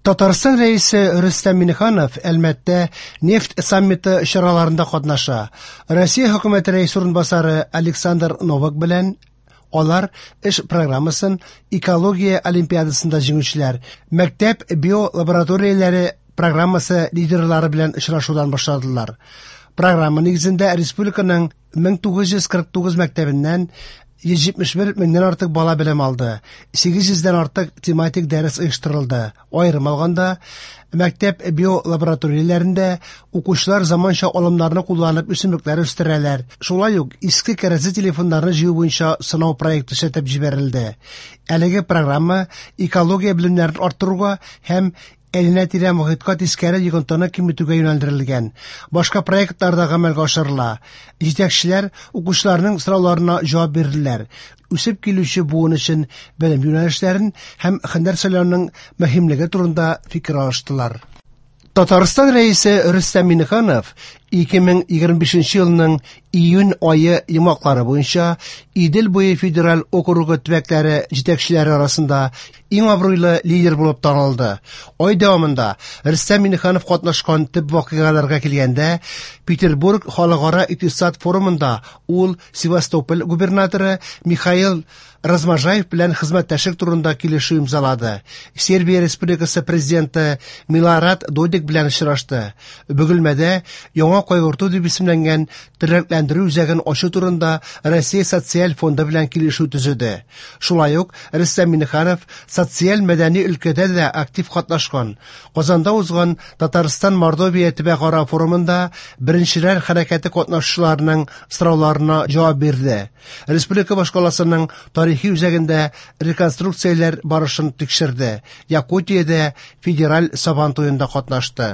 Татарстан Рәисе Рөстәм Миңнеханов Әлмәттә нефть саммиты чараларында катнаша. Россия хөкүмәте рәисе урынбасары Александр Новак белән алар эш программасын экология олимпиадасында җиңүчеләр, мәктәп биолабораторияләре программасы лидерлары белән очрашудан башладылар. Программа нигезендә республиканың 1949 мәктәбеннән 171 меңнән артык бала белем алды. 800 дән артык тематик дәрес оештырылды. Аерым алганда, мәктәп биолабораторияләрендә укучылар заманча алымнарны кулланып үсемлекләр үстерәләр. Шулай ук иске кәрәзле телефоннарны җыю буенча сынау проекты эшләтеп җибәрелде. Әлеге программа экология белемнәрен арттыруга һәм әйләнә-тирә мохиткә тискәре йогынтыны киметүгә юнәлдерелгән. Башка проектлар да гамәлгә ашырыла. Җитәкчеләр укучыларның сорауларына җавап бирделәр. Үсеп килүче буын өчен белем юнәлешләрен һәм һөнәр сайлауның мөһимлеге турында фикер алыштылар. Татарстан Рәисе Рөстәм Миңнеханов 2025 елның июнь ае йомгаклары буенча Идел буе федераль округы төбәкләре җитәкчеләре арасында иң абруйлы лидер булып танылды. Ай дәвамында Рөстәм Миңнеханов катнашкан төп вакыйгаларга килгәндә, Петербург халыкара икътисад форумында ул Севастополь губернаторы Михаил Разможаев белән хезмәттәшлек турында килешү имзалады. Сербия Республикасы президенты Милорад Додик белән очрашты. Бөгелмәдә яңа кайгырту дип исемләнгән тернәкләндерү үзәген ачу турында Россия социаль фонды белән килешү төзеде. Шулай ук Рөстәм Миңнеханов социаль-мәдәни өлкәдә дә актив катнашкан. Казанда узган Татарстан-Мордовия төбәкара форумында беренчеләр хәрәкәте катнашучыларының сорауларына җавап бирде. Республика башкаласының тарихи үзәгендә реконструкцияләр барышын тикшерде. Якутиядә федераль Сабан туенда катнашты.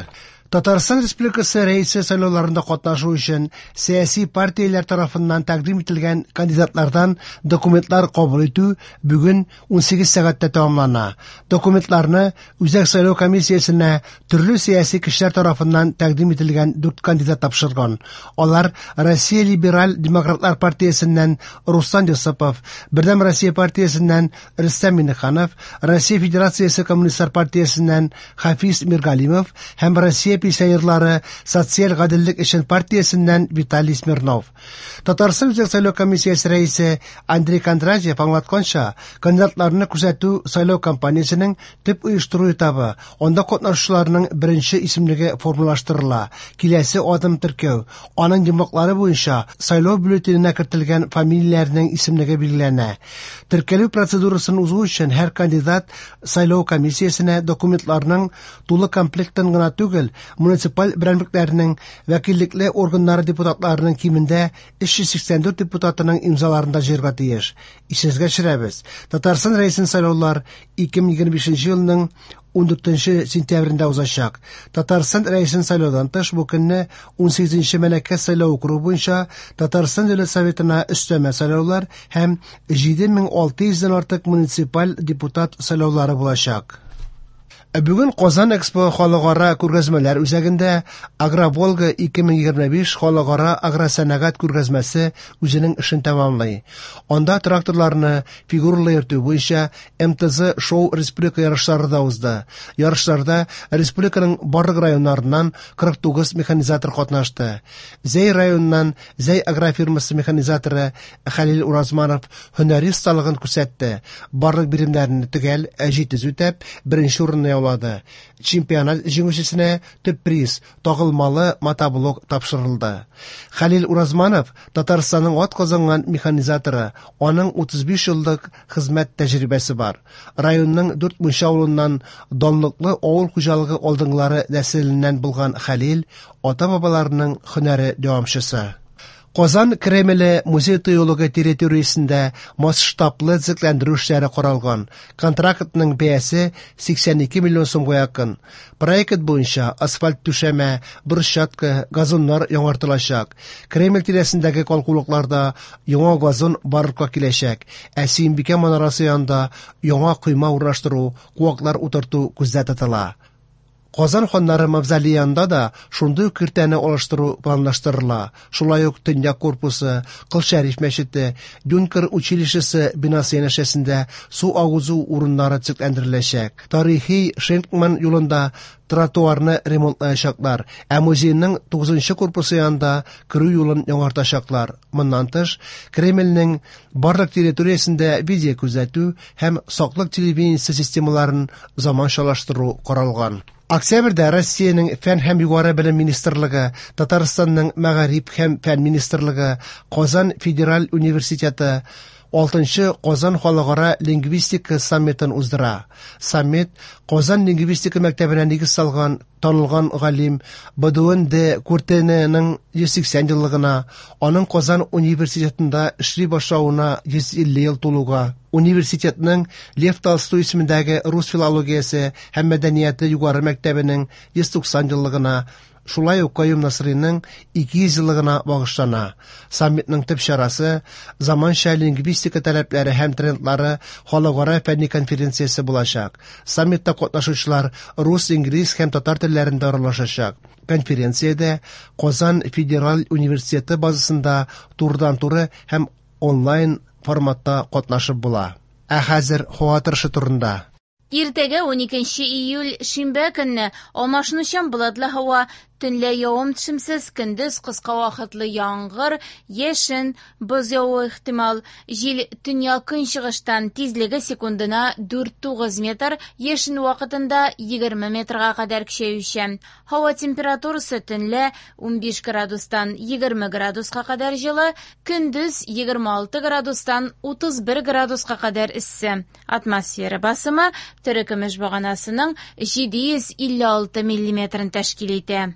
Татарстан Республикасы Рәисе сайлауларында катнашу өчен сәяси партияләр тарафыннан тәкъдим ителгән кандидатлардан документлар кабул итү бүген 18 сәгатьтә тәмамлана. Документларны Үзәк сайлау комиссиясенә төрле сәяси кешеләр тарафыннан тәкъдим ителгән дүрт кандидат тапшырган. Алар Россия либераль демократлар партиясеннән Руслан Йосыпов, Бердәм Россия партиясеннән Рөстәм Миңнеханов, Россия Федерациясе Коммунистлар партиясеннән Хафиз Миргалимов һәм Россия пенсионерлары социаль гаделлек өчен партиясеннән Виталий Смирнов. Татарстан Үзәк сайлау комиссиясе рәисе Андрей Кондратьев аңлатканча, кандидатларны күрсәтү сайлау кампаниясенең төп оештыру этабы, анда катнашучыларның беренче исемлеге формалаштырыла. Киләсе адым теркәү. Аның йомгаклары буенча сайлау бюллетененә кертелгән фамилияләрнең исемлеге билгеләнә. Теркәлү процедурасын узу өчен һәр кандидат сайлау комиссиясенә документларның тулы комплектын гына түгел, муниципаль берәмлекләрнең вәкиллекле органнары депутатларының кимендә 384 депутатының имзаларын да җыярга тиеш. Исегезгә төшерәбез, Татарстан Рәисен сайлаулар 2025 елның 14 сентябрендә узачак. Татарстан Рәисен сайлаудан тыш бу көнне 18 Мәләкәс сайлау округы буенча Татарстан Дәүләт Советына өстәмә сайлаулар һәм 7600 дән артык муниципаль депутат сайлаулары булачак. Бүген Казан Экспо халыкара күргәзмәләр үзәгендә Агроволга 2025 халыкара агросәнәгать күргәзмәсе үзенең эшен тәмамлый. Анда тракторларны фигуралы йөртү буенча МТЗ шоу республика ярышлары да узды. Ярышларда республиканың барлык районнарыннан 49 механизатор катнашты. Зәй районыннан Зәй агрофирмасы механизаторы Хәлил Уразманов һөнәри осталыгын күрсәтте. Барлык биремнәрне төгәл, җитез үтәп, беренче урынны яулады. Чемпионат җиңүчесенә төп приз тагылмалы мотоблок тапшырылды. Хәлил Уразманов Татарстанның атказанган механизаторы, аның 35 еллык хезмәт тәҗрибәсе бар. Районның Дүрт Мунча авылыннан данлыклы авыл хуҗалыгы алдынгылары нәселеннән булган Хәлил ата-бабаларының һөнәре дәвамчысы. Казан Кремле музей тыюлыгы территориясендә масштаблы төзекләндерү эшләре каралган. Контрактның бәясе 82 миллион сумга якын. Проект буенча асфальт түшәмә, брусчатка, газоннар яңартылачак. Кремль тирәсендәге калкулыкларда яңа газон барлыкка киләчәк, ә Сөембикә манарасы янында яңа койма урнаштыру, куаклар утырту күздә тотыла. Казан ханнары мавзолее янында да шундый ук киртәне алыштыру планлаштырыла. Шулай ук Төньяк корпусы, Кол Шәриф мәчете, Юнкер училищесы бинасы янәшәсендә су агызу урыннары төзекләндереләчәк. Тарихи Шенкман юлында тротуарны ремонтлаячаклар, ә музейның 9 корпусы янында керү юлын яңартачаклар. Моннан тыш, Кремльнең барлык территориясендә видеокүзәтү һәм саклык телевидениесе системаларын заманчалаштыру каралган. Октябрьдә Россиянең Фән һәм югары белем министрлыгы, Татарстанның Мәгариф һәм фән министрлыгы, Казан федераль университеты 6нчы Казан халыкара лингвистика саммитын уздыра. Саммит Казан лингвистика мәктәбенә нигез салган танылган галим Бодуэн де Куртененың 180 еллыгына, аның Казан университетында эшли башлавына 150 ел тулуга, университетның Лев Толстой исемендәге рус филологиясе һәм мәдәнияте югары мәктәбенең 190 еллыгына, шулай ук Каюм Насыйриның 200 еллыгына багышлана. Саммитның төп чарасы заманча лингвистика таләпләре һәм трендлары халыкара фәнни конференциясе булачак. Саммитта катнашучылар рус, инглиз һәм татар телләрендә аралашачак. Конференциядә Казан федераль университеты базасында турыдан-туры һәм онлайн форматта катнашып була. Ә хәзер һава торышы турында. Иртәгә 12 июль шимбә көнне алмашынучан болытлы һава, төнлә явым-төшемсез, көндез кыска вакытлы яңгыр, яшен, боз явуы ихтимал. Җил төньяк-көнчыгыштан, тизлеге секундына 4-9 метр, яшен вакытында 20 метрга кадәр көчәючән. Һава температурасы төнлә 15 градустан 20 градуска кадәр җылы, көндез 26 градустан 31 градуска кадәр эссе. Атмосфера басымы терекөмеш баганасының 756 миллиметрын тәшкил итә.